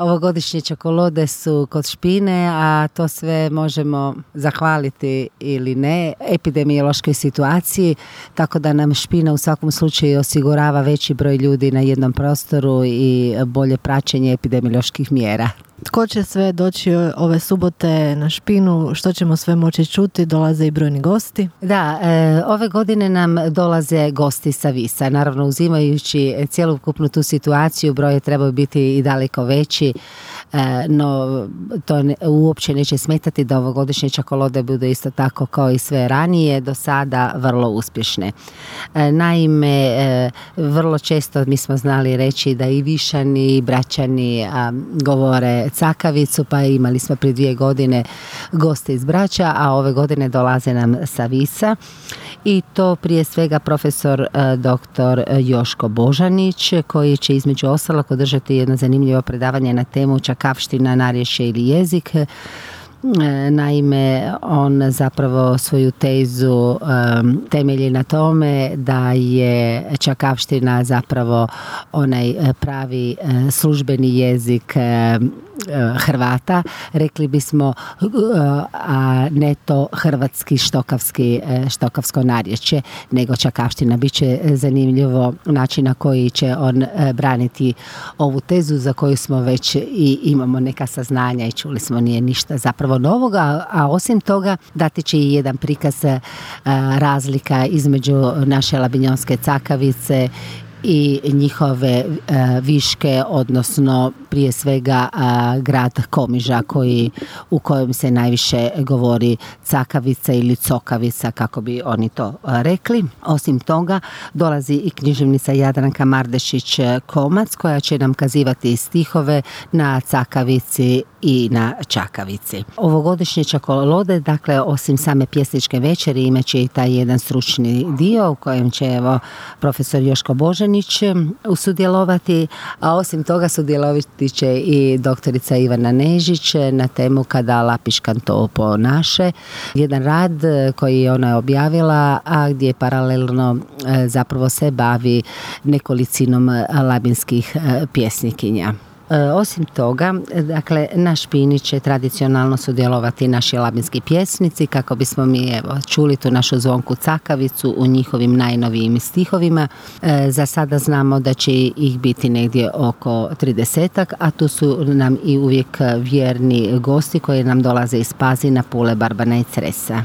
Ovogodišnje čokolade su kod špine, a to sve možemo zahvaliti ili ne epidemiološkoj situaciji, tako da nam špina u svakom slučaju osigurava veći broj ljudi na jednom prostoru i bolje praćenje epidemioloških mjera. Tko će sve doći ove subote na špinu, što ćemo sve moći čuti, dolaze i brojni gosti? Da, ove godine nam dolaze gosti sa Visa, naravno uzimajući cjelokupnu tu situaciju, broj trebaju biti i daleko veći, no to uopće neće smetati da ovogodišnje čokolade budu isto tako kao i sve ranije, do sada vrlo uspješne. Naime, vrlo često mi smo znali reći da i Višani i Bračani govore cakavicu, pa imali smo prije 2 godine goste iz Brača, a ove godine dolaze nam sa Visa i to prije svega profesor dr. Joško Božanić, koji će između ostalog održati jedno zanimljivo predavanje na temu čakavština, narječje ili jezik. Naime, on zapravo svoju tezu temelji na tome da je čakavština zapravo onaj pravi službeni jezik Hrvata, rekli bismo, a ne to hrvatski štokavsko narječje, nego čakavština. Biće zanimljivo način na koji će on braniti ovu tezu za koju smo već i imamo neka saznanja i čuli smo, nije ništa zapravo novoga, a osim toga dati će i jedan prikaz razlika između naše labinjonske cakavice i njihove viške, odnosno prije svega grad Komiža u kojem se najviše govori cakavica ili cokavica, kako bi oni to rekli. Osim toga dolazi i književnica Jadranka Mardešić-Komac, koja će nam kazivati stihove na cakavici i na čakavici. Ovogodišnje čokolade, dakle, osim same pjesničke večeri, imat će i taj jedan stručni dio u kojem će profesor Joško Božanić sudjelovati, a osim toga sudjelovati će i doktorica Ivana Nežić na temu Kada lapiškan to ponaše. Jedan rad koji je ona objavila, a gdje paralelno zapravo se bavi nekolicinom labinskih pjesnikinja. Osim toga, dakle, na špini će tradicionalno sudjelovati naši labinski pjesnici, kako bismo mi čuli tu našu zvonku cakavicu u njihovim najnovijim stihovima. Za sada znamo da će ih biti negdje oko 30-ak, a tu su nam i uvijek vjerni gosti koji nam dolaze iz Pazina, Pule, Barbana i Cresa.